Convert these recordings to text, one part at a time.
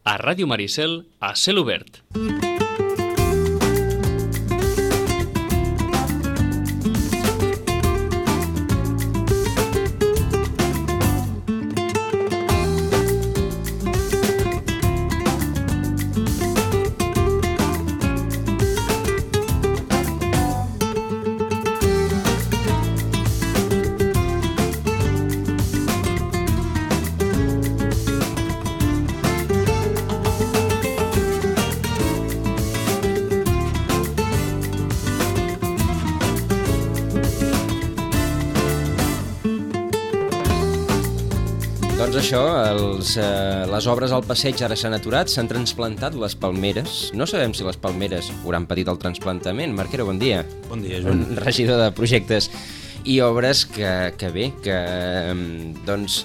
A Ràdio Maricel, a cel obert. Doncs això, les obres al passeig ara s'han aturat, s'han transplantat les palmeres. No sabem si les palmeres hauran patit el trasplantament. Marquero, bon dia. Bon dia, Joan. Regidor de projectes i obres que bé, que doncs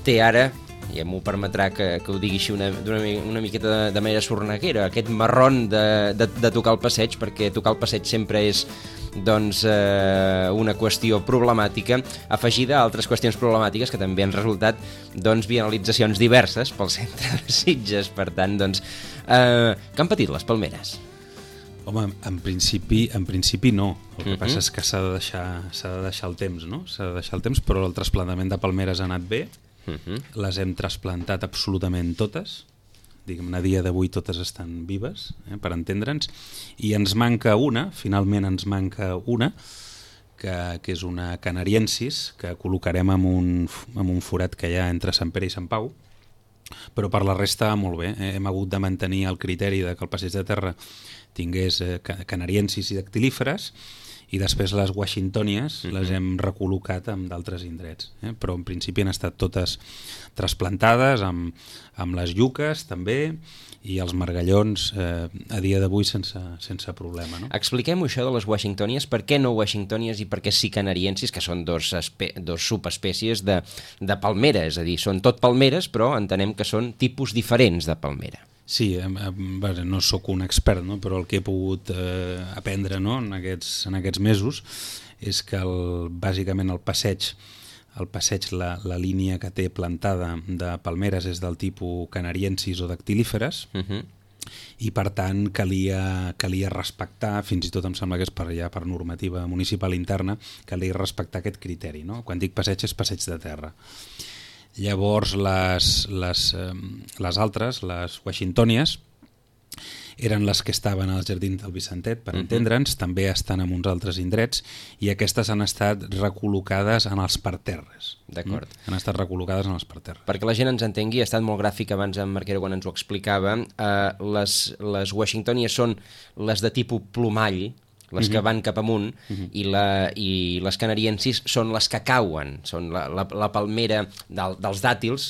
té ara, i m'ho permetrà que ho digui així una miqueta de manera sorneguera, aquest marron de tocar el passeig, perquè tocar el passeig sempre és doncs una qüestió problemàtica, afegida a altres qüestions problemàtiques que també han resultat doncs vianalitzacions diverses pel centre de Sitges. Per tant, doncs, què han patit les palmeres? Home, en principi no. El que passa és que s'ha de deixar el temps, no? S'ha de deixar el temps, però el trasplantament de palmeres ha anat bé. Les hem trasplantat absolutament totes. Diguem-ne, a dia d'avui totes estan vives, per entendre'ns, i ens manca una, finalment ens manca una, que és una canariensis, que col·locarem en un forat que hi ha entre Sant Pere i Sant Pau, però per la resta molt bé. Hem hagut de mantenir el criteri de que el passeig de terra tingués canariensis i dactilíferes, i després les washingtonies les hem recol·locat en d'altres indrets, però en principi han estat totes trasplantades amb les lluques també, i els margallons a dia d'avui sense problema, no? Expliquem-ho això de les washingtonies. Per què no washingtonies i per què sí canariensis, que són dos subespècies de palmera, és a dir, són tot palmeres, però entenem que són tipus diferents de palmera. Sí, no sóc un expert, no? Però el que he pogut aprendre, no? en aquests mesos és que bàsicament el passeig, la línia que té plantada de palmeres és del tipus canariensis o dactilíferes, i per tant calia respectar, fins i tot em sembla que és per normativa municipal interna, calia respectar aquest criteri, no? Quan dic passeig és passeig de terra. Llavors les altres, les washingtonies, eren les que estaven als jardins del Vicentet, per entendre'ns, també estan en uns altres indrets, i aquestes han estat recol·locades en els parterres. D'acord. Han estat recol·locades en els parterres. Perquè la gent ens entengui, ha estat molt gràfic abans en Marquero quan ens ho explicava, les washingtonies són les de tipus plomall, les que van cap amunt, i les canariensis són les que cauen, són la palmera dels dàtils,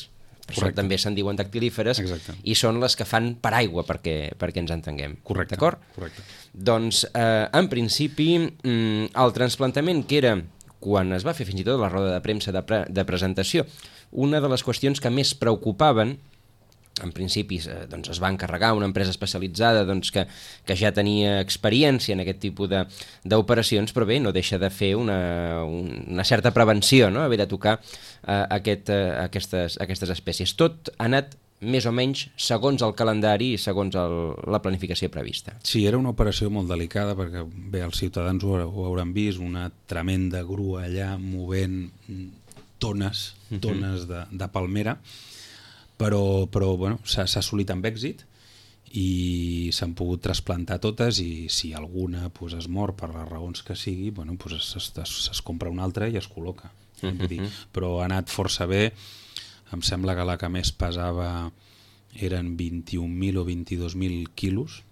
això també se'n diuen dactilíferes, i són les que fan paraigua perquè ens entenguem. Correcte. D'acord? Correcte. Doncs, en principi, el trasplantament, que era, quan es va fer fins i tot la roda de premsa de presentació, una de les qüestions que més preocupaven, en principi doncs es va encarregar una empresa especialitzada doncs, que ja tenia experiència en aquest tipus d'operacions, però bé, no deixa de fer una certa prevenció, no? Haver de tocar aquestes espècies. Tot ha anat més o menys segons el calendari i segons la planificació prevista. Sí, era una operació molt delicada perquè bé, els ciutadans ho hauran vist, una tremenda grua allà movent tones de palmera, però bueno, s'ha assolit amb èxit i s'han pogut trasplantar totes, i si alguna es mor per les raons que sigui, bueno, es compra una altra i es col·loca. Però ha anat força bé. Em sembla que la que més pesava eren 21.000 o 22.000 quilos,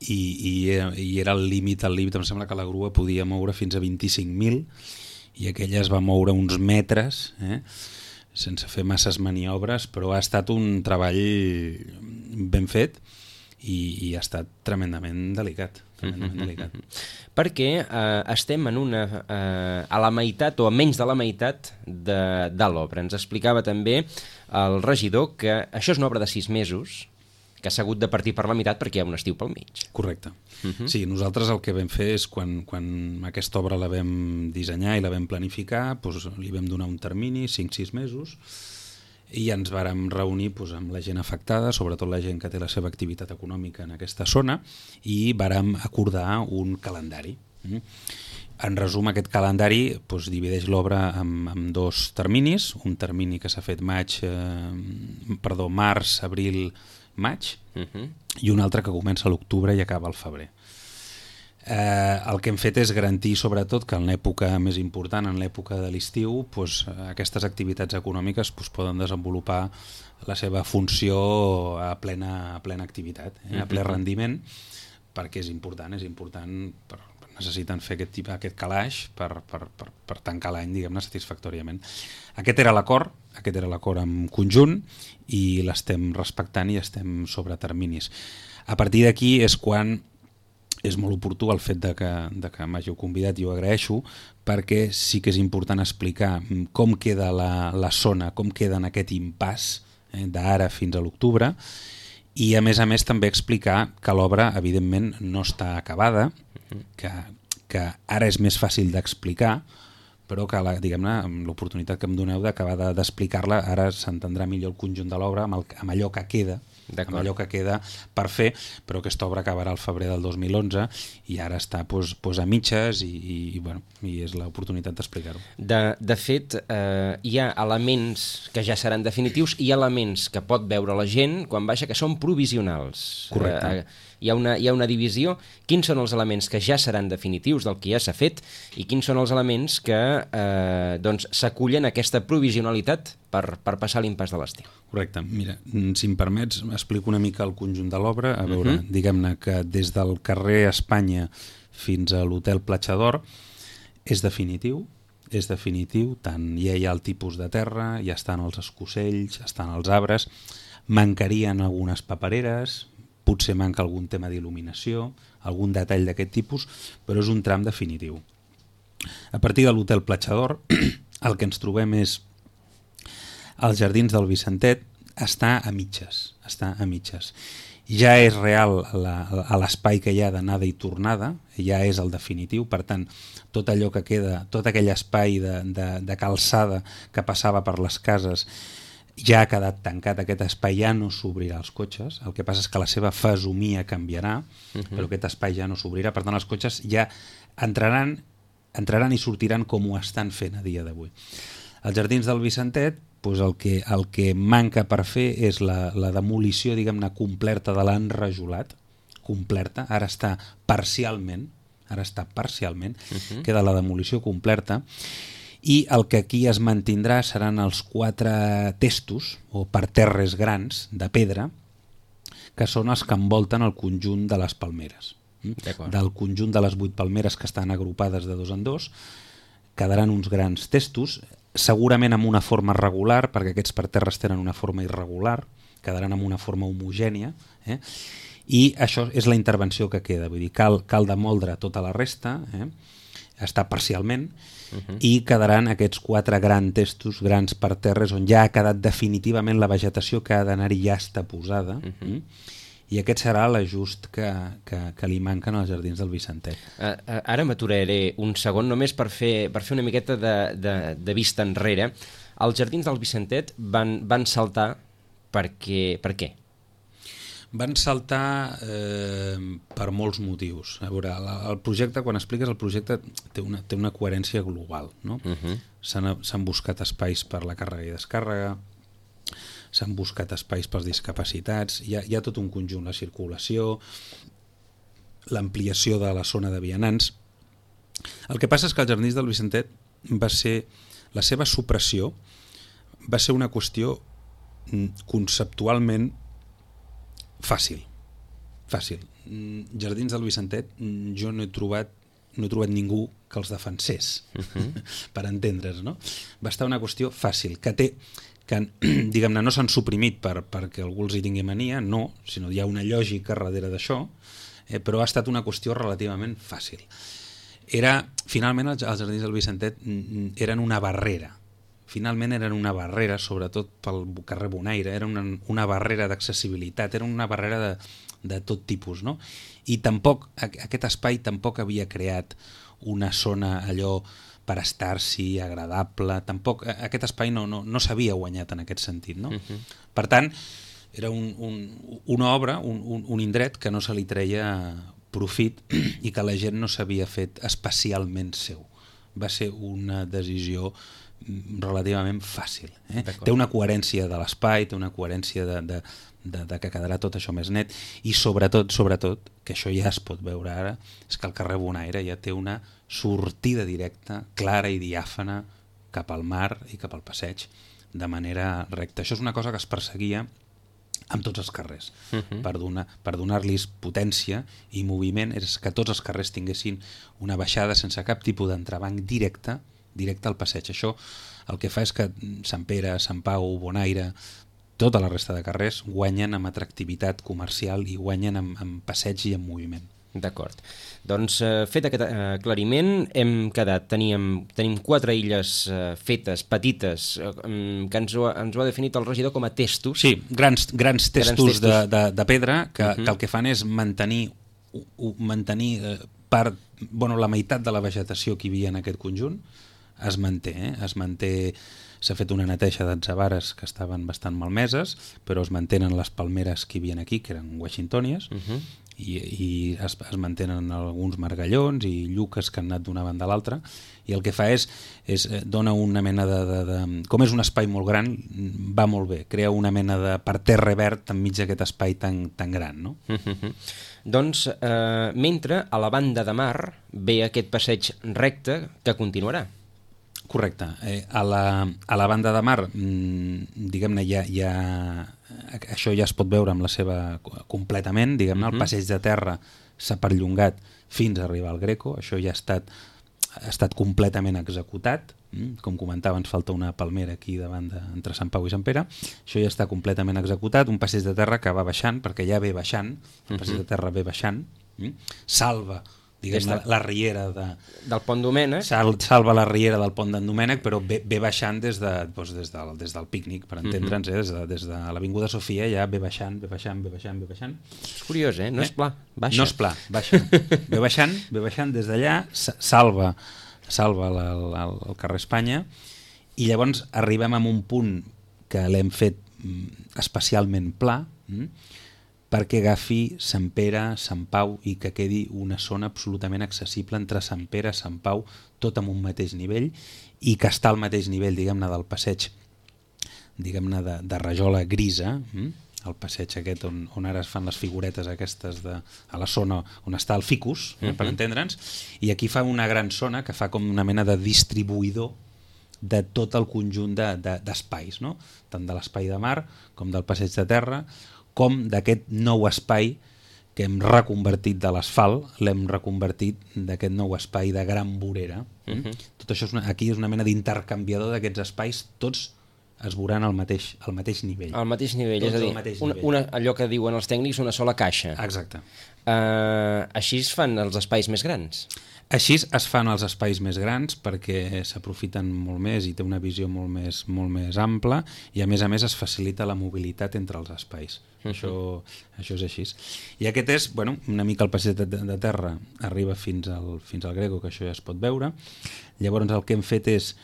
i era el límit, em sembla que la grua podia moure fins a 25.000, i aquella es va moure uns metres, sense fer masses maniobres, però ha estat un treball ben fet i ha estat tremendament delicat. Perquè estem a la meitat o a menys de la meitat de l'obra. Ens explicava també el regidor que això és una obra de 6 mesos, que s'ha hagut de partir per la meitat perquè hi ha un estiu pel mig. Correcte. Sí, nosaltres el que vam fer és quan aquesta obra la vam dissenyar i la vam planificar, doncs li vam donar un termini, 5-6 mesos, i ens vàrem reunir doncs, amb la gent afectada, sobretot la gent que té la seva activitat econòmica en aquesta zona, i vàrem acordar un calendari. En resum, aquest calendari doncs, divideix l'obra en dos terminis, un termini que s'ha fet març, abril, maig, i un altre que comença a l'octubre i acaba al febrer. El que hem fet és garantir sobretot que en l'època més important, en l'època de l'estiu, doncs, aquestes activitats econòmiques poden desenvolupar la seva funció a plena activitat, a ple rendiment, perquè és important, necessiten fer aquest calaix per tancar l'any, diguem-ne, satisfactòriament. Aquest era l'acord en conjunt i l'estem respectant i estem sobre terminis. A partir d'aquí és quan és molt oportú el fet de que m'hàgiu convidat i ho agraeixo, perquè sí que és important explicar com queda la zona, com queda en aquest impàs d'ara fins a l'octubre, i a més també explicar que l'obra evidentment no està acabada, que ara és més fàcil d'explicar, però que diguem-ne, amb l'oportunitat que em doneu d'acabar d'explicar-la, ara s'entendrà millor el conjunt de l'obra amb allò que queda, per fer, però aquesta obra acabarà al febrer del 2011 i ara està a mitges i és l'oportunitat d'explicar-ho. De fet, hi ha elements que ja seran definitius i elements que pot veure la gent quan baixa que són provisionals. Correcte. Hi ha una divisió. Quins són els elements que ja seran definitius del que ja s'ha fet i quins són els elements que s'acullen a aquesta provisionalitat per passar l'impàs de l'estiu? Correcte. Mira, si em permets, explico una mica el conjunt de l'obra. A veure, diguem-ne que des del carrer Espanya fins a l'hotel Platja d'Or és definitiu, tant ja hi ha el tipus de terra, ja estan els escocells, estan els arbres, mancarien algunes papereres, potser manca algun tema d'il·luminació, algun detall d'aquest tipus, però és un tram definitiu. A partir de l'hotel Platja d'Or, el que ens trobem és als jardins del Vicentet, està a mitges. Ja és real l'espai que hi ha d'anada i tornada, ja és el definitiu, per tant, tot allò que queda, tot aquell espai de calçada que passava per les cases, ja ha quedat tancat, aquest espai ja no s'obrirà als cotxes, el que passa és que la seva fesomia canviarà, però aquest espai ja no s'obrirà, per tant els cotxes ja entraran i sortiran com ho estan fent a dia d'avui. Als jardins del Vicentet, el que manca per fer és la demolició, diguem-ne, completa de l'enrajolat, completa, ara està parcialment, queda la demolició completa, i el que aquí es mantindrà seran els 4 testos o parterres grans de pedra que són els que envolten el conjunt de les palmeres. Del conjunt de les 8 palmeres que estan agrupades de 2 en 2 quedaran uns grans testos, segurament amb una forma regular, perquè aquests parterres tenen una forma irregular, quedaran amb una forma homogènia, i això és la intervenció que queda, vull dir, cal demoldre tota la resta, està parcialment, i quedaran aquests 4 grans testos, grans parterres, on ja ha quedat definitivament la vegetació que ha d'anar-hi ja està posada, i aquest serà l'ajust que li manquen als jardins del Vicentet. Ara m'aturaré un segon només per fer una miqueta de vista enrere. Els jardins del Vicentet van saltar per què? Van saltar per molts motius. A veure, el projecte, quan expliques el projecte, té una coherència global, no? S'han buscat espais per la càrrega i descàrrega, s'han buscat espais pels discapacitats, hi ha tot un conjunt, la circulació, l'ampliació de la zona de vianants. El que passa és que els jardins del Vicentet la seva supressió va ser una qüestió conceptualment fàcil. Jardins del Vicentet jo no he trobat ningú que els defensés, per entendre's, no? Va estar una qüestió fàcil, que diguem-ne, no s'han suprimit perquè algú els hi tingui mania, no, sinó hi ha una lògica darrere d'això, però ha estat una qüestió relativament fàcil. Finalment, els jardins del Vicentet eren una barrera, sobretot pel carrer Bonaire, era una barrera d'accessibilitat, era una barrera de tot tipus, no? I tampoc, aquest espai tampoc havia creat una zona allò per estar-s'hi, agradable. Tampoc aquest espai no s'havia guanyat en aquest sentit, no? Per tant, era una obra, un indret que no se li treia profit i que la gent no s'havia fet especialment seu. Va ser una decisió relativament fàcil. Té una coherència de l'espai, té una coherència de que quedarà tot això més net i sobretot, que això ja es pot veure ara, és que el carrer Bonaire ja té una sortida directa, clara i diàfana cap al mar i cap al passeig de manera recta. Això és una cosa que es perseguia amb tots els carrers, per donar-los potència i moviment, és que tots els carrers tinguessin una baixada sense cap tipus d'entrebanc directe al passeig. Això el que fa és que Sant Pere, Sant Pau, Bonaire, tota la resta de carrers guanyen amb atractivitat comercial i guanyen amb passeig i amb moviment. D'acord. Doncs fet aquest aclariment, hem quedat, tenim 4 illes fetes, petites, que ens ho ha definit el regidor com a testos. Sí, grans testos de pedra que el que fan és mantenir la meitat de la vegetació que hi havia en aquest conjunt es manté, s'ha fet una neteja d'atzabares que estaven bastant malmeses, però es mantenen les palmeres que hi havia aquí, que eren washingtonies, i es mantenen alguns margallons i lluques que han anat d'una banda a l'altra, i el que fa és dona una mena de... Com és un espai molt gran, va molt bé, crea una mena de parterre verd enmig d'aquest espai tan gran, no? Doncs, mentre a la banda de mar ve aquest passeig recte que continuarà. Correcte. A la banda de mar, diguem-ne, això ja es pot veure amb la seva completament, diguem-ne, el passeig de terra s'ha perllongat fins a arribar al Greco, això ja ha estat completament executat, com comentava, ens falta una palmera aquí davant entre Sant Pau i Sant Pere, això ja està completament executat, un passeig de terra que va baixant, perquè ja ve baixant, el passeig de terra ve baixant, salva la riera del Pont Domènec, salva la riera del Pont d'en Domènec, però ve baixant des del pícnic, per entendre'ns, des de l'Avinguda Sofia ja ve baixant. És curiós, no és pla, baixa. No és pla, baixa. Ve baixant des d'allà, salva el carrer Espanya, i llavors arribem a un punt que l'hem fet especialment pla, perquè agafi Sant Pere, Sant Pau i que quedi una zona absolutament accessible entre Sant Pere, Sant Pau, tot amb un mateix nivell, i que està al mateix nivell, diguem-ne, del passeig, diguem-ne, de rajola grisa, el passeig aquest on ara es fan les figuretes aquestes a la zona on està el ficus, per entendre'ns, i aquí fa una gran zona que fa com una mena de distribuïdor de tot el conjunt d'espais, no? Tant de l'espai de mar com del passeig de terra, com d'aquest nou espai que hem reconvertit de l'asfalt, l'hem reconvertit d'aquest nou espai de gran vorera. Tot això aquí és una mena d'intercanviador d'aquests espais, tots es veuran al mateix nivell. Al mateix nivell, és a dir, allò que diuen els tècnics, una sola caixa. Exacte. Així es fan els espais més grans? Així es fan els espais més grans perquè s'aprofiten molt més i té una visió molt més ampla, i a més es facilita la mobilitat entre els espais. Això és així. I aquest és, una mica el passeig de terra, arriba fins al Greco, que això ja es pot veure. Llavors el que hem fet és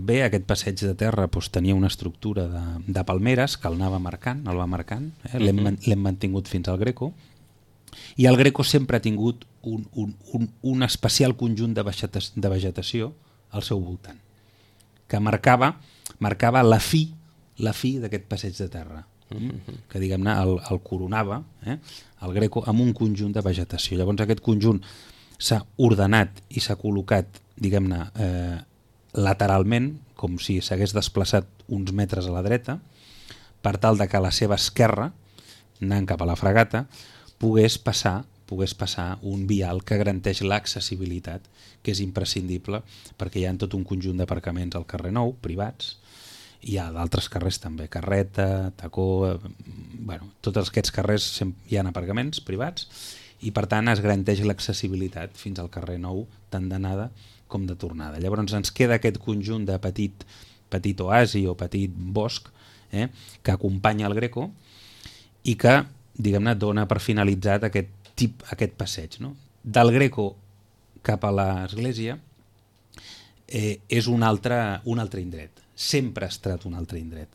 bé, aquest passeig de terra tenia una estructura de palmeres que el va marcant, l'hem mantingut fins al Greco, i el Greco sempre ha tingut un especial conjunt de vegetació al seu voltant, que marcava la fi d'aquest passeig de terra, que diguem-ne el coronava, el Greco, amb un conjunt de vegetació. Llavors aquest conjunt s'ha ordenat i s'ha col·locat, diguem-ne, lateralment, com si s'hagués desplaçat uns metres a la dreta, per tal de que a la seva esquerra, anant cap a la Fragata, pogués passar un vial que garanteix l'accessibilitat, que és imprescindible perquè hi ha tot un conjunt d'aparcaments al carrer Nou, privats, hi ha d'altres carrers també, Carreta, Tacó, tots aquests carrers hi ha aparcaments privats, i per tant es garanteix l'accessibilitat fins al carrer Nou, tant d'anada com de tornada. Llavors ens queda aquest conjunt de petit oasi o petit bosc que acompanya el Greco i que, diguem-ne, dona per finalitzat aquest passeig, no? Del Greco cap a l'església és un altre indret. Sempre ha estat un altre indret.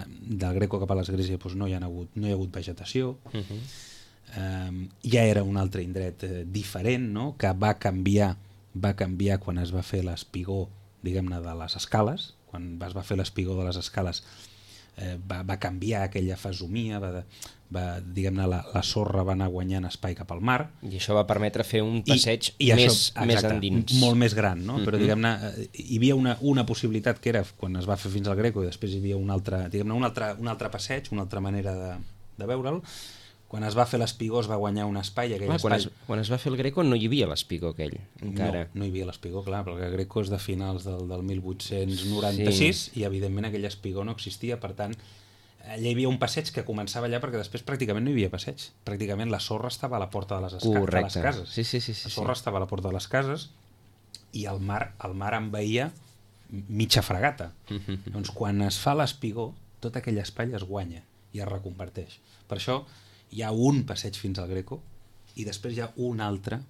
Del Greco cap a l'església doncs no hi ha hagut vegetació. Ja era un altre indret diferent, no? Que va canviar quan es va fer l'espigó, diguem-ne, de les escales. Quan es va fer l'espigó de les escales va canviar aquella fesomia, diguem-ne, la sorra va anar guanyant espai cap al mar. I això va permetre fer un passeig més endins. Molt més gran, no? Però diguem-ne, hi havia una possibilitat que era quan es va fer fins al Greco i després hi havia un altre passeig, una altra manera de veure'l. Quan es va fer l'espigó es va guanyar un espai. Quan es va fer el Greco no hi havia l'espigó aquell, encara. No hi havia l'espigó, clar, perquè el Greco és de finals del 1896 i evidentment aquell espigó no existia, per tant, allà hi havia un passeig que començava allà perquè després pràcticament no hi havia passeig. Pràcticament la sorra estava a la porta de les cases. Sí. La sorra estava a la porta de les cases i el mar envaïa mitja fregata. Doncs quan es fa l'espigó, tot aquell espai es guanya i es reconverteix. Per això hi ha un passeig fins al Greco i després hi ha un altre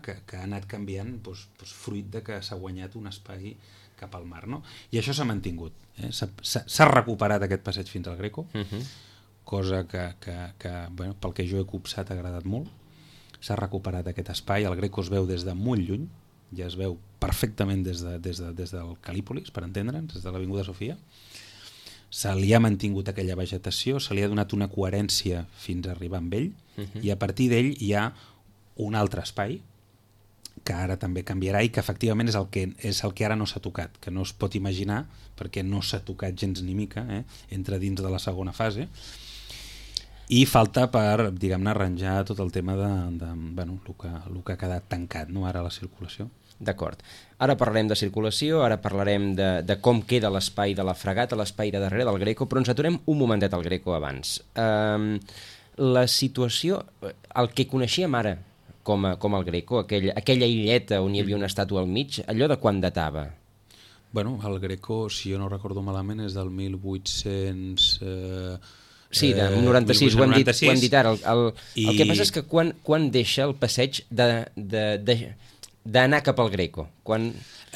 que ha anat canviant fruit de que s'ha guanyat un espai cap al mar, no? I això s'ha mantingut. S'ha recuperat aquest passeig fins al Greco, cosa que bueno, pel que jo he copsat ha agradat molt. S'ha recuperat aquest espai, el Greco es veu des de molt lluny, ja es veu perfectament des del Calípolis, per entendre'ns, des de l'Avinguda Sofia. Se li ha mantingut aquella vegetació, se li ha donat una coherència fins a arribar amb ell, i a partir d'ell hi ha un altre espai que ara també canviarà i que efectivament és el que ara no s'ha tocat, que no es pot imaginar perquè no s'ha tocat gens ni mica, entra dins de la segona fase, i falta per, diguem-ne, arranjar tot el tema bueno, el que ha quedat tancat, no, ara la circulació. D'acord. Ara parlarem de circulació, ara parlarem de com queda l'espai de la fregata, l'espai de darrere del Greco, però ens aturem un momentet al Greco abans. La situació, el que coneixíem ara com el Greco, aquella illeta on hi havia una estàtua al mig, allò de quan datava? Bueno, el Greco, si jo no recordo malament, és del 1800... Sí, de 96, ho hem dit ara. El que passa és que quan deixa el passeig d'anar cap al Greco?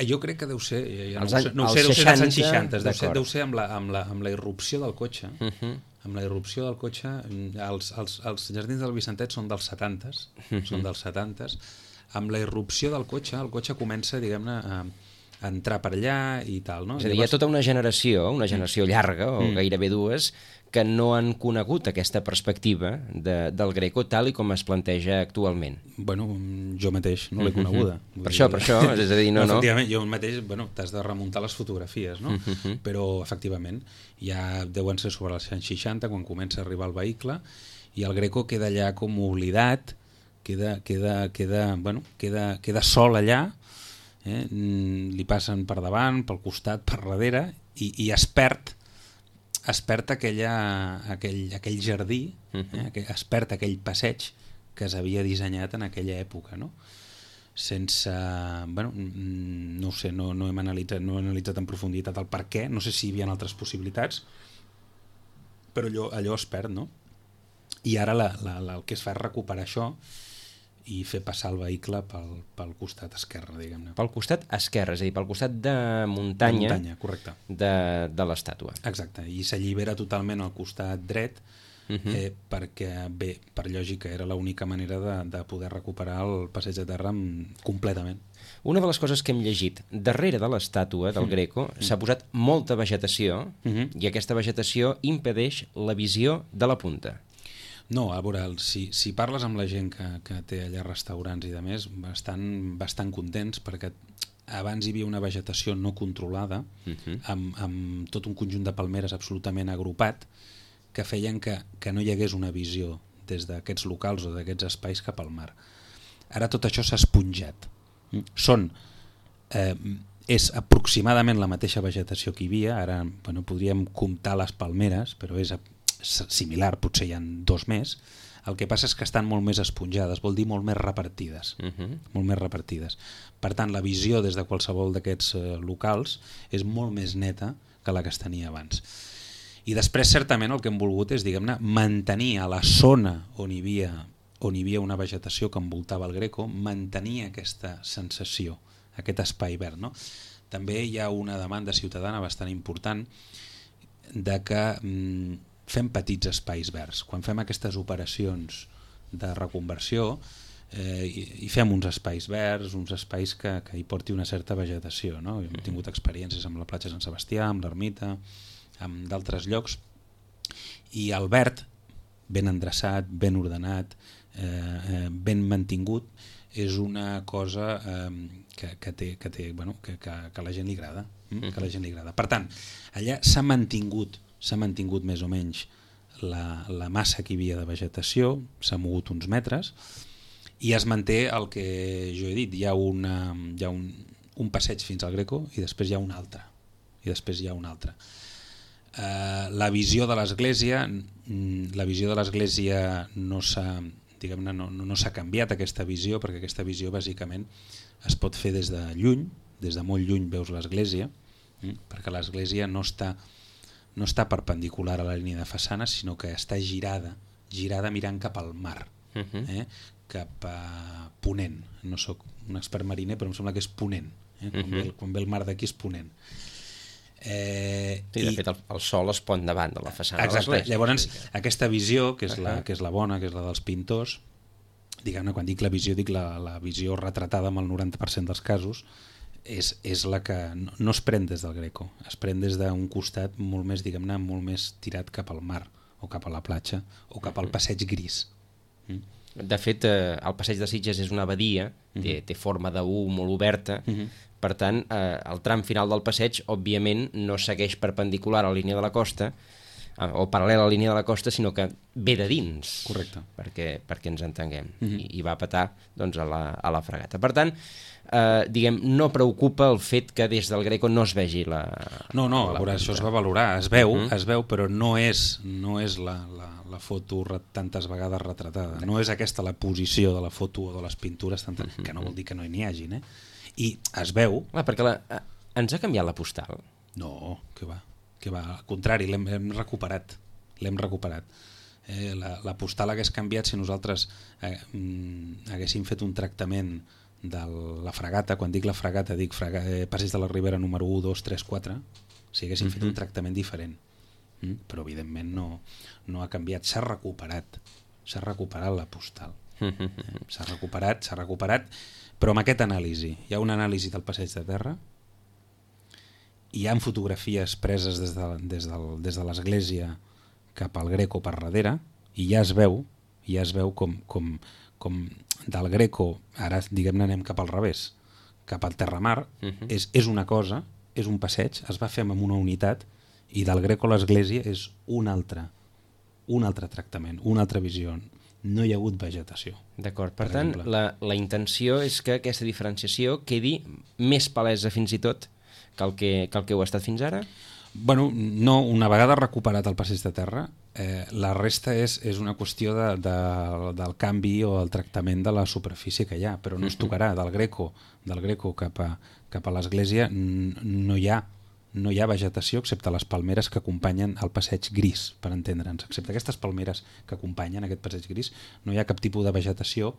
Jo crec que deu ser, no ho sé, deu ser dels anys 60, deu ser amb la irrupció del cotxe. Amb la irrupció del cotxe, els jardins del Vicentet són dels 70s, amb la irrupció del cotxe, el cotxe comença, diguem-ne, a entrar per allà i tal, no? És a dir, hi ha tota una generació llarga, o gairebé dues, que no han conegut aquesta perspectiva del Greco tal i com es planteja actualment. Bueno, jo mateix no l'he coneguda. Per això, és a dir, no. Efectivament, jo mateix, bueno, t'has de remuntar les fotografies, no? Però, efectivament, ja deuen ser sobre els anys 60, quan comença a arribar el vehicle, i el Greco queda allà com oblidat, queda sol allà, li passen per davant, pel costat, per darrere, i es perd aquell jardí, es perd aquell passeig que s'havia dissenyat en aquella època, no? Sense... Bueno, no ho sé, no hem analitzat en profunditat el per què, no sé si hi havia altres possibilitats, però allò es perd, no? I ara el que es fa és recuperar això i fer passar el vehicle pel costat esquerre, diguem-ne. Pel costat esquerre, és a dir, pel costat de muntanya, correcte, de l'estàtua. Exacte, i s'allibera totalment al costat dret, perquè, bé, per lògica, era l'única manera de poder recuperar el passeig de terra completament. Una de les coses que hem llegit, darrere de l'estàtua del Greco s'ha posat molta vegetació, i aquesta vegetació impedeix la visió de la punta. No, a veure, si parles amb la gent que té allà restaurants i de més, bastant contents, perquè abans hi havia una vegetació no controlada, amb tot un conjunt de palmeres absolutament agrupat, que feien que no hi hagués una visió des d'aquests locals o d'aquests espais cap al mar. Ara tot això s'ha esponjat. És aproximadament la mateixa vegetació que hi havia, ara podríem comptar les palmeres, però és similar, potser hi ha 2 més. El que passa és que estan molt més esponjades, vol dir molt més repartides. Molt més repartides. Per tant, la visió des de qualsevol d'aquests locals és molt més neta que la que es tenia abans. I després, certament, el que hem volgut és, diguem-ne, mantenir a la zona on hi havia una vegetació que envoltava el Greco, mantenir aquesta sensació aquest espai verd, no? També hi ha una demanda ciutadana bastant important de que fem petits espais verds. Quan fem aquestes operacions de reconversió i fem uns espais verds, uns espais que hi porti una certa vegetació, no? Hem tingut experiències amb la platja Sant Sebastià, amb l'Ermita, amb d'altres llocs, i el verd, ben endreçat, ben ordenat, ben mantingut, és una cosa que la gent li agrada, que la gent li agrada. Per tant, allà s'ha mantingut més o menys la massa que hi havia de vegetació, s'ha mogut uns metres, i es manté el que jo he dit, hi ha un passeig fins al Greco i després hi ha un altre. La visió de l'Església no s'ha canviat, aquesta visió, perquè aquesta visió bàsicament es pot fer des de lluny, des de molt lluny veus l'Església, perquè l'Església no està perpendicular a la línia de façana, sinó que està girada mirant cap al mar, cap a ponent. No sóc un expert mariner, però em sembla que és ponent. Quan ve el mar d'aquí és ponent. Sí, de fet el sol es pon davant de la façana. Exacte. Llavors, aquesta visió, que és la bona, que és la dels pintors, diguem-ne, quan dic la visió, dic la visió retratada amb el 90% dels casos, és la que no es pren des del Greco, es pren des d'un costat molt més, diguem-ne, molt més tirat cap al mar, o cap a la platja, o cap al passeig gris. De fet, el passeig de Sitges és una badia, té forma d'U molt oberta, per tant, el tram final del passeig, òbviament, no segueix perpendicular a la línia de la costa, o paral·lel a la línia de la costa, sinó que ve de dins. Correcte. Perquè ens entenguem, i va petar doncs, a la fragata. Per tant, no preocupa el fet que des del Greco no es vegi la... No, a veure, això es va valorar, es veu, però no és la foto tantes vegades retratada, no és aquesta la posició de la foto o de les pintures, que no vol dir que no n'hi hagin, i es veu... Perquè ens ha canviat la postal? No, que va, al contrari, l'hem recuperat. La postal hagués canviat si nosaltres haguéssim fet un tractament de la fragata. Quan dic la fragata dic Passeig de la Ribera número 1, 2, 3, 4, si haguéssim fet un tractament diferent, però evidentment no ha canviat, s'ha recuperat la postal, s'ha recuperat, però amb aquest anàlisi, hi ha una anàlisi del passeig de terra, hi ha fotografies preses des de l'església cap al Greco per darrere, i ja es veu com del Greco, ara diguem-ne anem cap al revés, cap al terramar, és una cosa, és un passeig, es va fer amb una unitat, i del Greco a l'església és un altre tractament, una altra visió. No hi ha hagut vegetació. D'acord, per tant, la intenció és que aquesta diferenciació quedi més palesa fins i tot que el que ho ha estat fins ara? Bueno, no, una vegada recuperat el passeig de terra, la resta és una qüestió del canvi o el tractament de la superfície que hi ha, però no es tocarà. Del Greco cap a l'església no hi ha vegetació excepte les palmeres que acompanyen el passeig gris, per entendre'ns. Excepte aquestes palmeres que acompanyen aquest passeig gris, no hi ha cap tipus de vegetació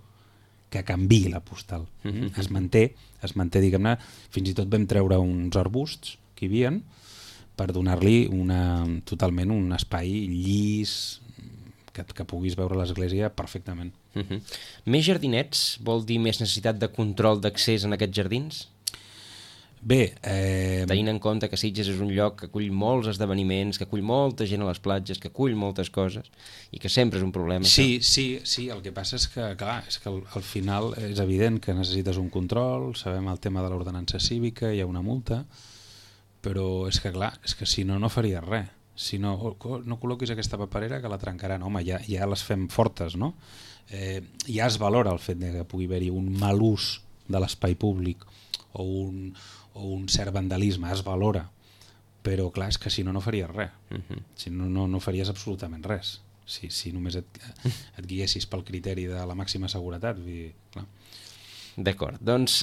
que canviï la postal. Es manté, diguem-ne, fins i tot vam treure uns arbusts que hi havia per donar-li totalment un espai llis que puguis veure l'església perfectament. Més jardinets vol dir més necessitat de control d'accés en aquests jardins? Bé, tenint en compte que Sitges és un lloc que acull molts esdeveniments, que acull molta gent a les platges, que acull moltes coses i que sempre és un problema. Sí, el que passa és que, clar, al final és evident que necessites un control, sabem el tema de l'ordenança cívica, hi ha una multa, però és que, clar, si no faries res. Si no col·loquis aquesta paperera que la trencaran. Home, ja les fem fortes, no? Ja es valora el fet que pugui haver-hi un mal ús de l'espai públic o un cert vandalisme, es valora, però clar, és que si no faries res, si no faries absolutament res, si només et guiessis pel criteri de la màxima seguretat. Clar. D'acord, doncs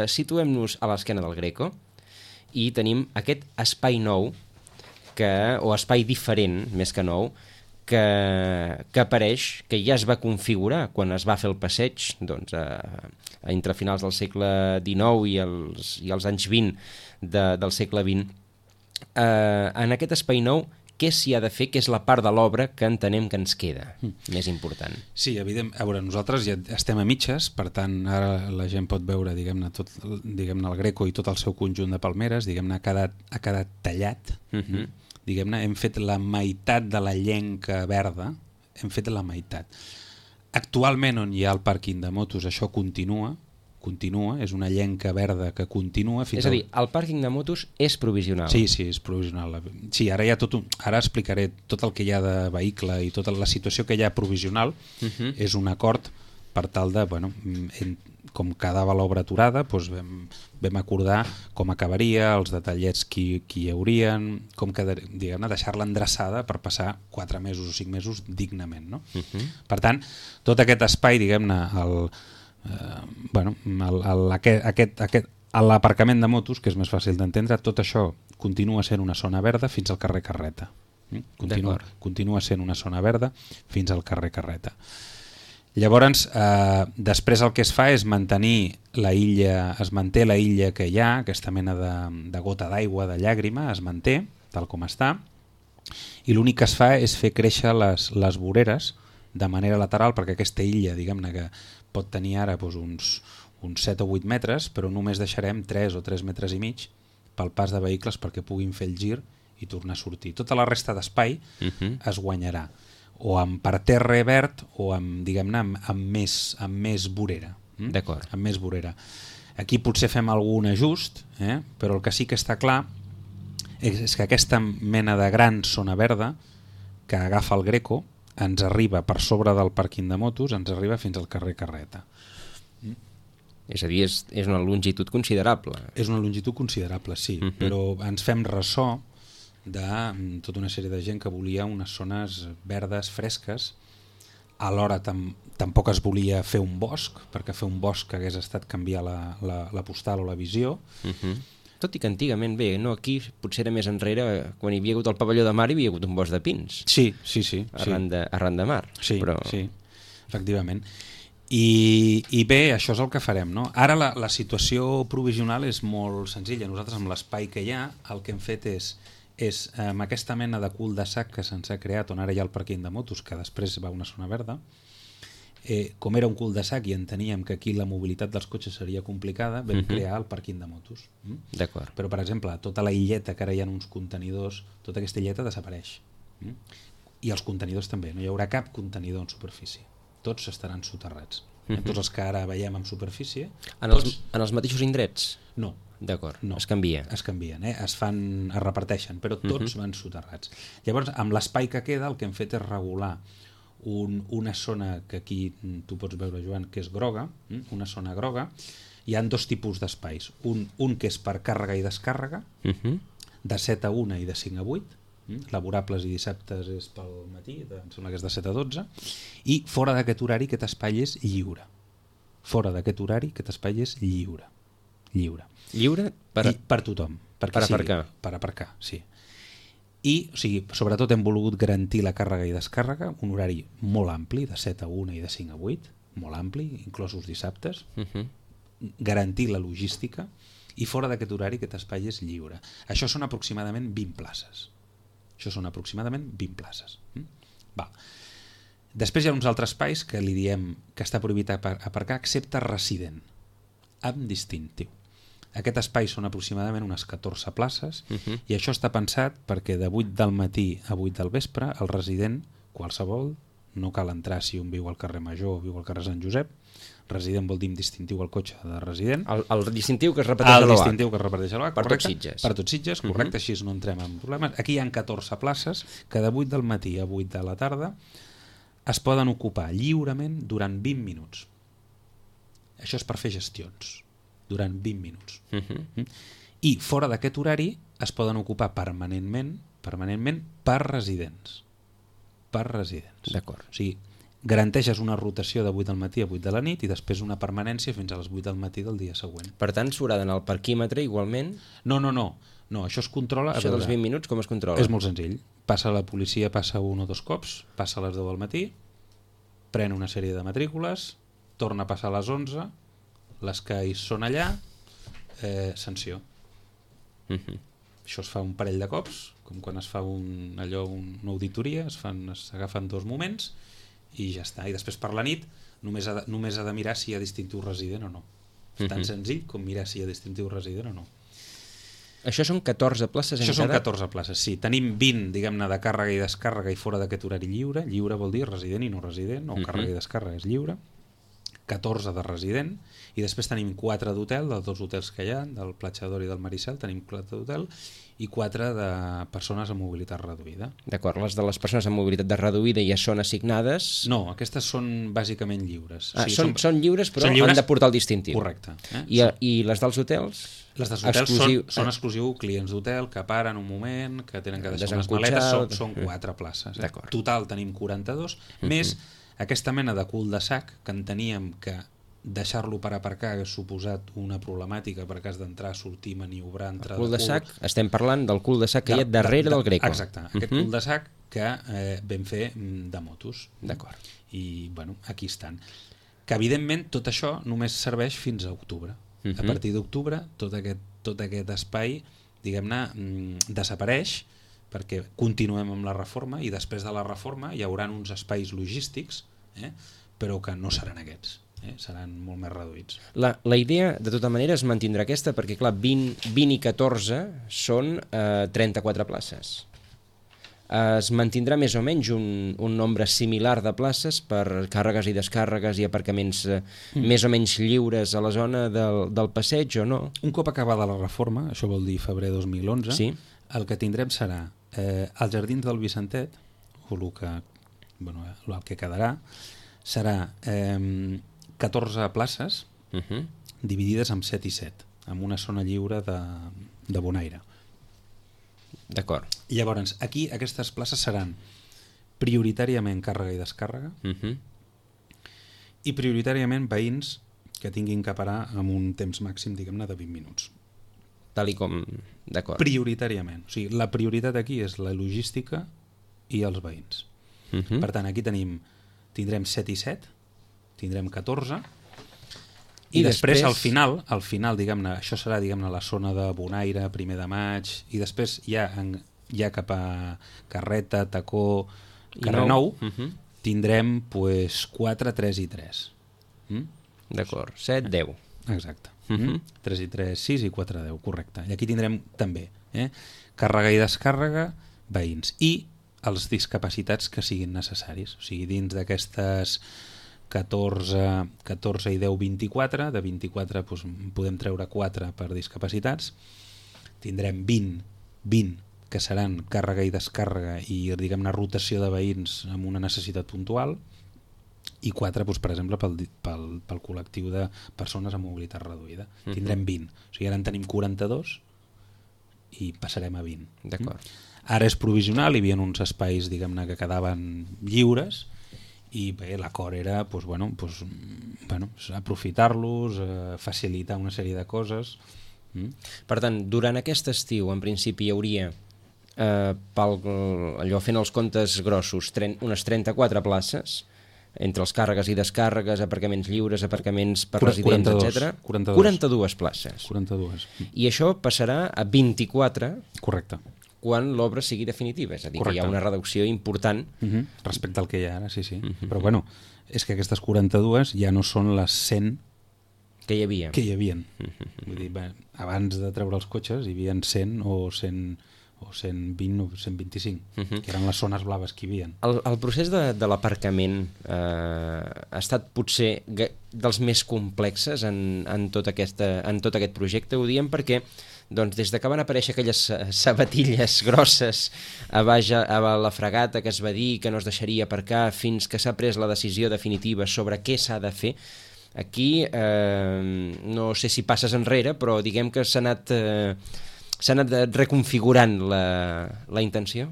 situem-nos a l'esquena del Greco i tenim aquest espai nou, o espai diferent, més que nou, que apareix, que ja es va configurar quan es va fer el passeig, doncs, entre finals del segle XIX i els anys 20 del segle XX. En aquest espai nou, què s'hi ha de fer, que és la part de l'obra que entenem que ens queda més important? Sí, evident. A veure, nosaltres ja estem a mitges, per tant, ara la gent pot veure, diguem-ne, el Greco i tot el seu conjunt de palmeres, diguem-ne, ha quedat tallat. Diguem-ne, hem fet la meitat de la llenca verda, hem fet la meitat. Actualment, on hi ha el pàrquing de motos, això continua, és una llenca verda que continua. És a dir, el pàrquing de motos és provisional. Sí, és provisional. Sí, ara hi ha ara explicaré tot el que hi ha de vehicle i tota la situació que hi ha provisional. És un acord per tal de, bueno, com quedava l'obra aturada, doncs vam acordar com acabaria, els detallets que hi haurien, com diguem-ne, deixar-la endreçada per passar 4 mesos o 5 mesos dignament, no? Per tant, tot aquest espai, diguem-ne, l'aparcament de motos, que és més fàcil d'entendre, tot això continua sent una zona verda fins al carrer Carreta. Continua sent una zona verda fins al carrer Carreta. Llavors, després el que es fa és mantenir la illa, es manté la illa que hi ha, aquesta mena de gota d'aigua, de llàgrima, es manté tal com està, i l'únic que es fa és fer créixer les voreres de manera lateral, perquè aquesta illa, diguem-ne, que pot tenir ara uns 7 o 8 metres, però només deixarem 3 o 3 metres i mig pel pas de vehicles perquè puguin fer el gir i tornar a sortir. Tota la resta d'espai es guanyarà, o amb parterre verd o amb, diguem-ne, amb més vorera. D'acord. Amb més vorera. Aquí potser fem algun ajust, però el que sí que està clar és que aquesta mena de gran zona verda que agafa el Greco ens arriba per sobre del pàrquing de motos, ens arriba fins al carrer Carreta. És a dir, és una longitud considerable. És una longitud considerable, sí, però ens fem ressò de tota una sèrie de gent que volia unes zones verdes, fresques. Alhora tampoc es volia fer un bosc, perquè fer un bosc hagués estat canviar la postal o la visió. Tot i que antigament, aquí potser era més enrere, quan hi havia hagut el pavelló de mar hi havia hagut un bosc de pins. Sí. Arran de mar. Sí, efectivament. I bé, això és el que farem, no? Ara la situació provisional és molt senzilla. Nosaltres, amb l'espai que hi ha, el que hem fet és amb aquesta mena de cul de sac que se'ns ha creat, on ara hi ha el pàrquing de motos, que després va a una zona verda, com era un cul de sac i enteníem que aquí la mobilitat dels cotxes seria complicada, vam crear el pàrquing de motos. D'acord. Però, per exemple, tota la illeta, que ara hi ha uns contenidors, tota aquesta illeta desapareix. I els contenidors també, no hi haurà cap contenidor en superfície. Tots estaran soterrats. Tots els que ara veiem en superfície... En els mateixos indrets? No. D'acord, no. Es canvien. Es canvien, es reparteixen, però tots van soterrats. Llavors, amb l'espai que queda, el que hem fet és regular una zona que aquí tu pots veure, Joan, que és groga, una zona groga. Hi ha 2 tipus d'espais. Un que és per càrrega i descàrrega, de 7 a 1 i de 5 a 8, laborables i dissabtes és pel matí, em sembla que és de 7 a 12, i fora d'aquest horari aquest espai és lliure. Fora d'aquest horari aquest espai és lliure. Lliure per tothom. Per aparcar. Per aparcar, sí. I, o sigui, sobretot hem volgut garantir la càrrega i descàrrega, un horari molt ampli, de 7 a 1 i de 5 a 8, molt ampli, inclosos dissabtes, garantir la logística, i fora d'aquest horari aquest espai és lliure. Això són aproximadament 20 places. Val. Després hi ha uns altres espais que li diem que està prohibit aparcar, excepte resident, amb distintiu. Aquest espai són aproximadament unes 14 places i això està pensat perquè de 8 del matí a 8 del vespre el resident, qualsevol, no cal entrar si un viu al carrer Major o viu al carrer Sant Josep, resident vol dir amb distintiu al cotxe de resident. El distintiu que es repeteix a l'OH. El distintiu que es repeteix a l'OH, per tots Sitges. Per tots Sitges, correcte, així no entrem en problemes. Aquí hi ha 14 places que de 8 del matí a 8 de la tarda es poden ocupar lliurement durant 20 minuts. Això és per fer gestions. Durant 20 minuts. I fora d'aquest horari es poden ocupar permanentment per residents. D'acord. O sigui, garanteixes una rotació de 8 del matí a 8 de la nit i després una permanència fins a les 8 del matí del dia següent. Per tant, s'haurà d'anar al parquímetre igualment? No, això es controla... Això dels 20 minuts com es controla? És molt senzill. Passa la policia, passa un o dos cops, passa a les 10 del matí, pren una sèrie de matrícules, torna a passar a les 11, les que hi són allà, sanció. Això es fa un parell de cops, com quan es fa una auditoria, s'agafen 2 moments i ja està. I després per la nit només ha de mirar si hi ha distintiu resident o no. És tan senzill com mirar si hi ha distintiu resident o no. Això són 14 places en cada? Això són 14 places, sí. Tenim 20, diguem-ne, de càrrega i descàrrega i fora d'aquest horari lliure. Lliure vol dir resident i no resident, o càrrega i descàrrega és lliure. 14 de resident, i després tenim 4 d'hotel, dels 2 hotels que hi ha, del Platjador i del Maricel, tenim 4 d'hotel, i 4 de persones amb mobilitat reduïda. D'acord, les de les persones amb mobilitat reduïda ja són assignades? No, aquestes són bàsicament lliures. Ah, o sigui, són lliures, però han de portar el distintiu. Correcte. I les dels hotels? Les dels hotels són exclusiu clients d'hotel que paren un moment, que tenen que deixar unes maletes, són 4 places. Total tenim 42, més aquesta mena de cul de sac que enteníem que deixar-lo per aparcar hagués suposat una problemàtica per cas d'entrar, sortir, maniobrar, entrar... El cul de sac, estem parlant del cul de sac que hi ha darrere del Greco. Exacte, aquest cul de sac que vam fer de motos. D'acord. I, bueno, aquí estan. Que, evidentment, tot això només serveix fins a octubre. A partir d'octubre, tot aquest espai, diguem-ne, desapareix perquè continuem amb la reforma i després de la reforma hi haurà uns espais logístics, però que no seran aquests. Seran molt més reduïts. La idea, de tota manera, es mantindrà aquesta perquè, clar, 20 i 14 són 34 places. Es mantindrà més o menys un nombre similar de places per càrregues i descàrregues i aparcaments més o menys lliures a la zona del passeig o no? Un cop acabada la reforma, això vol dir febrer 2011, sí? El que tindrem serà als Jardins del Vicentet, o el que quedarà, serà 14 places dividides en 7 i 7, amb una zona lliure de bonaire. D'acord. Llavors, aquí aquestes places seran prioritàriament càrrega i descàrrega i prioritàriament veïns que tinguin que parar amb un temps màxim, diguem-ne, de 20 minuts. Tal i com... D'acord. Prioritàriament. O sigui, la prioritat aquí és la logística i els veïns. Per tant, aquí tindrem 7 i 7, tindrem 14, i després al final, diguem-ne, això serà, diguem-ne, la zona de Bonaire, primer de maig, i després ja cap a Carreta, Tacó, Carrer Nou, tindrem 4, 3 i 3. D'acord, 7, 10. Exacte. 3 i 3, 6 i 4, 10, correcte. I aquí tindrem també càrrega i descàrrega, veïns, i els discapacitats que siguin necessaris. O sigui, dins d'aquestes 14 i 10, 24, de 24 doncs, podem treure 4 per discapacitats, tindrem 20 que seran càrrega i descàrrega i, diguem-ne, rotació de veïns amb una necessitat puntual, i 4, doncs, per exemple, pel col·lectiu de persones amb mobilitat reduïda. Tindrem 20. O sigui, ara en tenim 42 i passarem a 20. D'acord. Ara és provisional, hi havia uns espais, diguem-ne, que quedaven lliures, i bé, l'acord era aprofitar-los, facilitar una sèrie de coses. Per tant, durant aquest estiu, en principi, hi hauria, allò fent els comptes grossos, unes 34 places, entre els càrregues i descàrregues, aparcaments lliures, aparcaments per residents, etc. 42 places. 42. I això passarà a 24. Correcte. Quan l'obra sigui definitiva, és a dir, correcte, que hi ha una reducció important. Respecte al que hi ha ara, sí. Però bueno, és que aquestes 42 ja no són les 100 que hi havia. Vull dir, abans de treure els cotxes hi havia 100 o 120 o 125, que eren les zones blaves que hi havia. El procés de l'aparcament ha estat potser dels més complexes en tot aquest projecte, ho diem perquè doncs, des que van aparèixer aquelles sabatilles grosses a la fregata que es va dir que no es deixaria aparcar fins que s'ha pres la decisió definitiva sobre què s'ha de fer, aquí no sé si passes enrere, però diguem que s'ha anat reconfigurant la intenció?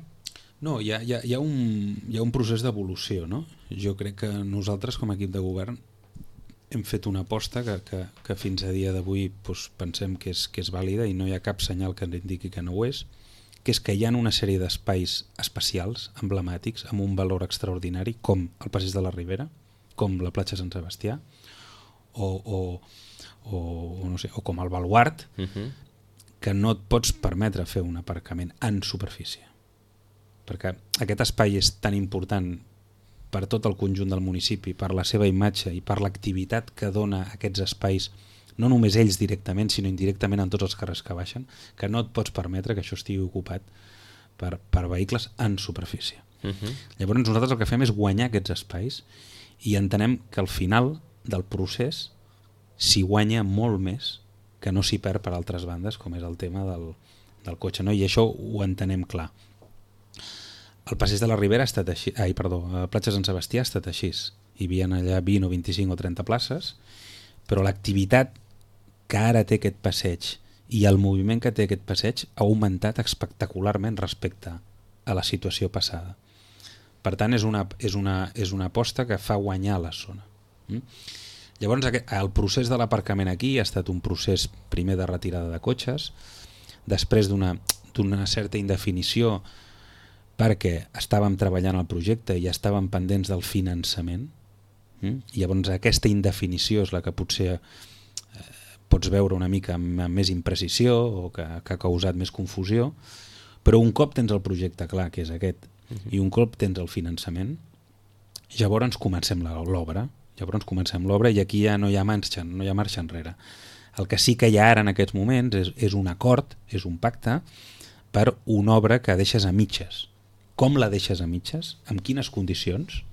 No, hi ha un procés d'evolució, no? Jo crec que nosaltres, com a equip de govern, hem fet una aposta que fins a dia d'avui doncs, pensem que és vàlida i no hi ha cap senyal que ens indiqui que no ho és, que és que hi ha una sèrie d'espais especials, emblemàtics, amb un valor extraordinari, com el Passeig de la Ribera, com la platja Sant Sebastià, o no sé, o com el Baluard, que no et pots permetre fer un aparcament en superfície. Perquè aquest espai és tan important per tot el conjunt del municipi, per la seva imatge i per l'activitat que dona aquests espais, no només ells directament, sinó indirectament en tots els carrers que baixen, que no et pots permetre que això estigui ocupat per vehicles en superfície. Llavors nosaltres el que fem és guanyar aquests espais i entenem que al final del procés s'hi guanya molt més que no s'hi perd per altres bandes, com és el tema del cotxe, no? I això ho entenem clar. El Passeig de la Ribera ha estat així, el Platja Sant Sebastià ha estat així. Hi havia allà 20 o 25 o 30 places, però l'activitat que ara té aquest passeig i el moviment que té aquest passeig ha augmentat espectacularment respecte a la situació passada. Per tant, és una aposta que fa guanyar la zona. Llavors, el procés de l'aparcament aquí ha estat un procés primer de retirada de cotxes, després d'una certa indefinició perquè estàvem treballant el projecte i estàvem pendents del finançament. Llavors aquesta indefinició és la que potser pots veure una mica amb més imprecisió o que ha causat més confusió, però un cop tens el projecte clar, que és aquest, i un cop tens el finançament, llavors comencem l'obra. I aquí ja no hi ha marxa enrere. El que sí que hi ha ara en aquests moments és un acord, és un pacte per una obra que deixes a mitges. Com la deixes a mitges? Amb quines condicions?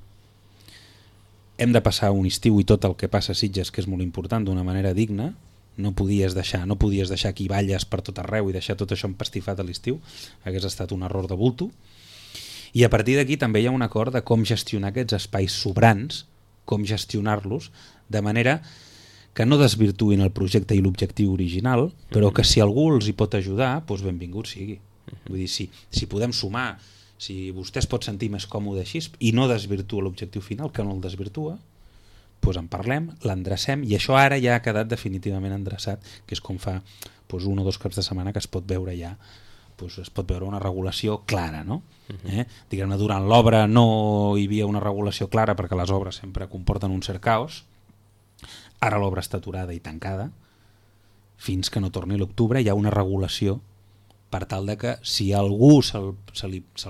Hem de passar un estiu i tot el que passa a Sitges, que és molt important, d'una manera digna. No podies deixar aquí valles per tot arreu i deixar tot això empastifat a l'estiu. Hagués estat un error de bulto. I a partir d'aquí també hi ha un acord de com gestionar aquests espais sobrants, com gestionar-los, de manera que no desvirtuïn el projecte i l'objectiu original, però que si algú els hi pot ajudar, doncs benvingut sigui. Vull dir, si podem sumar, si vostè es pot sentir més còmode així i no desvirtua l'objectiu final, que no el desvirtua, doncs en parlem, l'endrecem, i això ara ja ha quedat definitivament endreçat, que és com fa 1 o 2 caps de setmana que es pot veure ja, es pot veure una regulació clara, no? Diguem-ne, durant l'obra no hi havia una regulació clara perquè les obres sempre comporten un cert caos. Ara l'obra està aturada i tancada, fins que no torni l'octubre hi ha una regulació per tal de que si algú se'l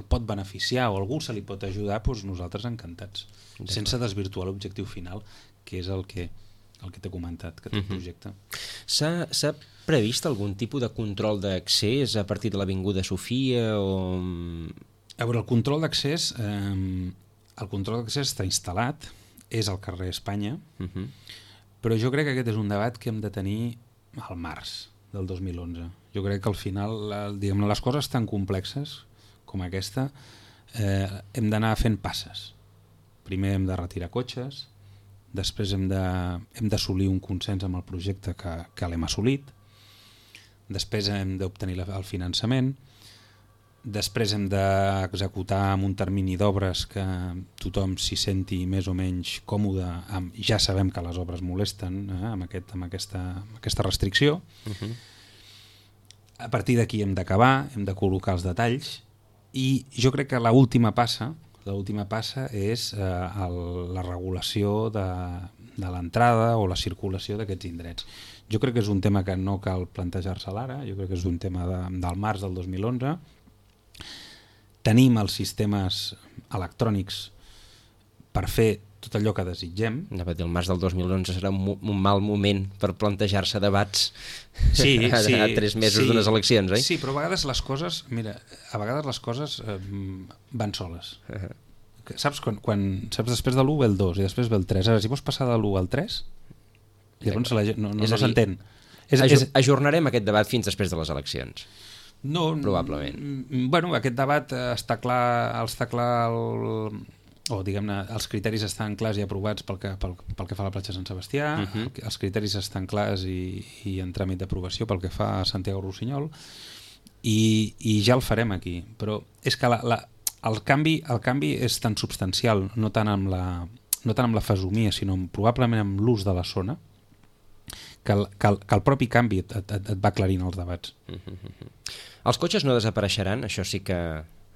pot beneficiar o algú se li pot ajudar, doncs nosaltres encantats, sense desvirtuar l'objectiu final, que és el que t'he comentat, que té el projecte. S'ha previst algun tipus de control d'accés a partir de l'Avinguda Sofia? A veure, el control d'accés està instal·lat, és al carrer Espanya, però jo crec que aquest és un debat que hem de tenir al març del 2011. Jo crec que al final, les coses tan complexes com aquesta, hem d'anar fent passes. Primer hem de retirar cotxes, després hem d'assolir un consens amb el projecte que l'hem assolit, després hem d'obtenir el finançament, després hem d'executar amb un termini d'obres que tothom s'hi senti més o menys còmode. Ja sabem que les obres molesten amb aquesta restricció. A partir d'aquí hem d'acabar, hem de col·locar els detalls, i jo crec que l'última passa és la regulació de l'entrada o la circulació d'aquests indrets. Jo crec que és un tema que no cal plantejar-se ara, jo crec que és un tema del març del 2011. Tenim els sistemes electrònics per fer tot allò que desitgem. El març del 2011 serà un mal moment per plantejar-se debats a 3 mesos d'unes eleccions, oi? Sí, però a vegades les coses, van soles. Saps després de l'1 ve el 2 i després ve el 3. Ara, si vols passar de l'1 al 3, llavors no s'entén. Ajornarem aquest debat fins després de les eleccions. No, probablement. Bueno, aquest debat està clar, els criteris estan clars i aprovats pel que fa a la platja Sant Sebastià, els criteris estan clars i en tràmit d'aprovació pel que fa a Santiago Rossinyol, i ja el farem aquí. Però és que el canvi és tan substancial, no tant amb la fesomia, sinó probablement amb l'ús de la zona, que el propi canvi et va aclarint els debats. Els cotxes no desapareixeran, això sí que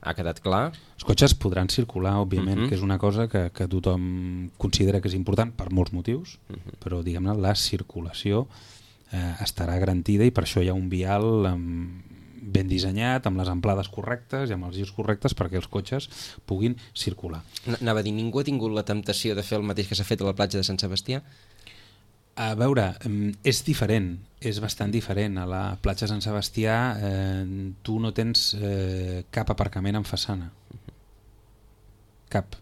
ha quedat clar. Els cotxes podran circular, òbviament, que és una cosa que tothom considera que és important per molts motius, però diguem-ne, la circulació estarà garantida i per això hi ha un vial ben dissenyat, amb les amplades correctes i amb els girs correctes perquè els cotxes puguin circular. Anava a dir, ningú ha tingut la temptació de fer el mateix que s'ha fet a la platja de Sant Sebastià? A veure, és diferent, és bastant diferent. A la platja de Sant Sebastià tu no tens cap aparcament en façana. Cap.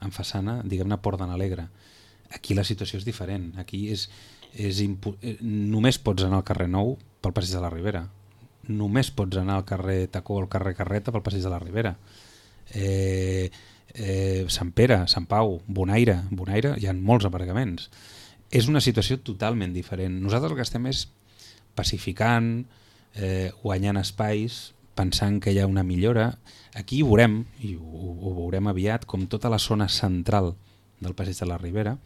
En façana, diguem-ne, Port de n'Alegre. Aquí la situació és diferent. Aquí només pots anar al carrer Nou pel Passeig de la Ribera. Només pots anar al carrer Tacó o al carrer Carreta pel Passeig de la Ribera. Sant Pere, Sant Pau, Bonaire, hi ha molts aparcaments. És una situació totalment diferent. Nosaltres el que estem és pacificant, guanyant espais, pensant que hi ha una millora. Aquí ho veurem, i ho veurem aviat, com tota la zona central del Passeig de la Ribera,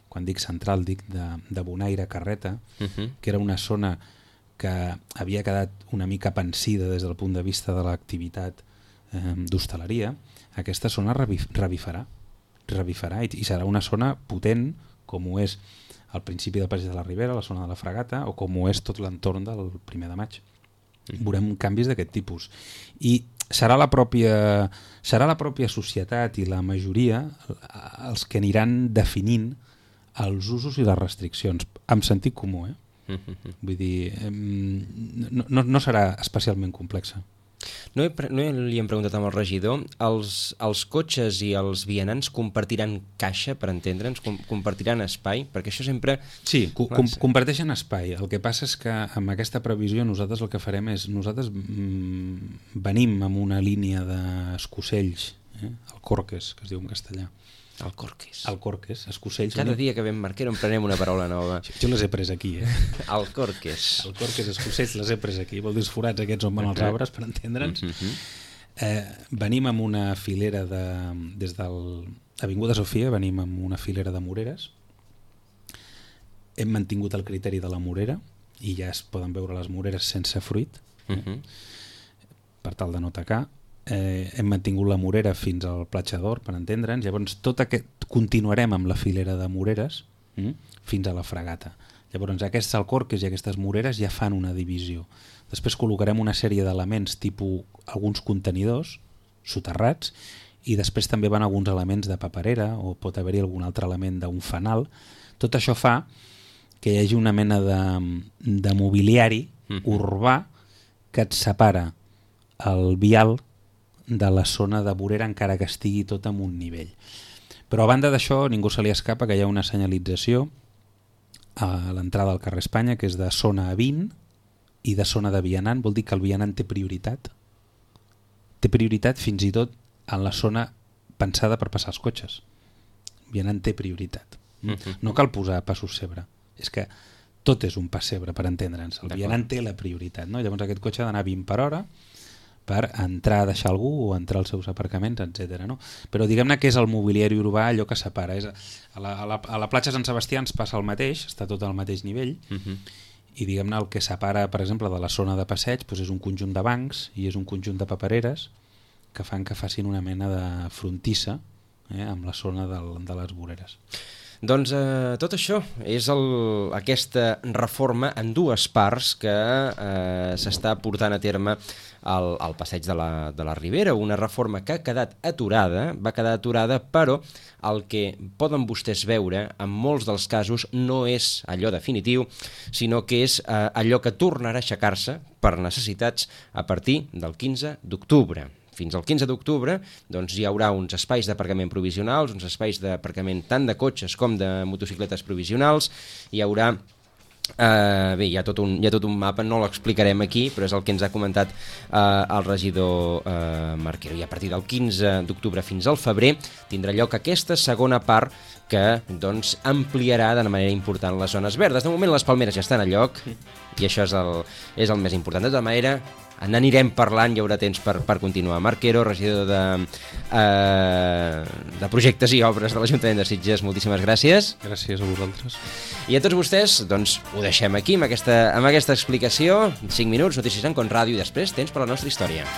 quan dic central dic de Bonaire, Carreta, que era una zona que havia quedat una mica pensida des del punt de vista de l'activitat d'hostaleria. Aquesta zona revifarà i serà una zona potent com ho és al principi del Passeig de la Ribera, la zona de la Fragata, o com ho és tot l'entorn del 1 de maig. Veurem canvis d'aquest tipus. I serà la pròpia societat i la majoria els que aniran definint els usos i les restriccions, amb sentit comú, Vull dir, no serà especialment complexa. No li hem preguntat al regidor, els cotxes i els vianants compartiran caixa, per entendre'ns, compartiran espai, perquè això sempre... Sí, comparteixen espai. El que passa és que amb aquesta previsió nosaltres el que farem és, nosaltres venim amb una línia d'escocells, el corques, que es diu en castellà. El corques. El corques, escocells. Cada dia que vam Marquero en prenem una paraula nova. Jo les he pres aquí, El corques. El corques, escocells, les he pres aquí. Vol dir els forats aquests on van els arbres, per entendre'ns. Venim amb una filera des de l'Avinguda Sofia, venim amb una filera de moreres. Hem mantingut el criteri de la morera i ja es poden veure les moreres sense fruit, per tal de no tacar. Hem mantingut la morera fins al Platja d'Or, per entendre'ns. Llavors continuarem amb la filera de moreres fins a la Fragata. Llavors aquests alcorques i aquestes moreres ja fan una divisió. Després col·locarem una sèrie d'elements tipus alguns contenidors soterrats i després també van alguns elements de paperera o pot haver-hi algun altre element d'un fanal. Tot això fa que hi hagi una mena de mobiliari urbà que et separa el vial de la zona de vorera encara que estigui tot en un nivell. Però a banda d'això ningú se li escapa que hi ha una senyalització a l'entrada al carrer Espanya que és de zona a 20 i de zona de vianant. Vol dir que el vianant té prioritat. Té prioritat fins i tot en la zona pensada per passar els cotxes. El vianant té prioritat. No cal posar passos zebra. És que tot és un pas zebra, per entendre'ns. El vianant té la prioritat, no? Llavors aquest cotxe ha d'anar a 20 per hora per entrar a deixar algú o entrar als seus aparcaments, etc. No? Però diguem-ne que és el mobiliari urbà allò que separa. A la platja Sant Sebastià ens passa el mateix, està tot al mateix nivell, i diguem-ne el que separa, per exemple, de la zona de passeig és un conjunt de bancs i és un conjunt de papereres que fan que facin una mena de frontissa amb la zona de les voreres. Doncs tot això és aquesta reforma en dues parts que s'està portant a terme al passeig de la Ribera, una reforma que ha quedat aturada, però el que poden vostès veure en molts dels casos no és allò definitiu, sinó que és allò que tornarà a aixecar-se per necessitats a partir del 15 d'octubre. Fins al 15 d'octubre doncs, hi haurà uns espais d'aparcament provisionals, uns espais d'aparcament tant de cotxes com de motocicletes provisionals, hi haurà Bé, hi ha tot un mapa, no l'explicarem aquí, però és el que ens ha comentat el regidor Marquero. I a partir del 15 d'octubre fins al febrer tindrà lloc aquesta segona part que doncs, ampliarà de manera important les zones verdes. De moment les palmeres ja estan a lloc i això és el més important. De tota manera, n'anirem parlant, hi haurà temps per continuar. Marquero, regidor de projectes i obres de l'Ajuntament de Sitges, moltíssimes gràcies. Gràcies a vosaltres. I a tots vostès, doncs, ho deixem aquí amb aquesta explicació. 5 minuts, notícies en Con Ràdio i després temps per la nostra història.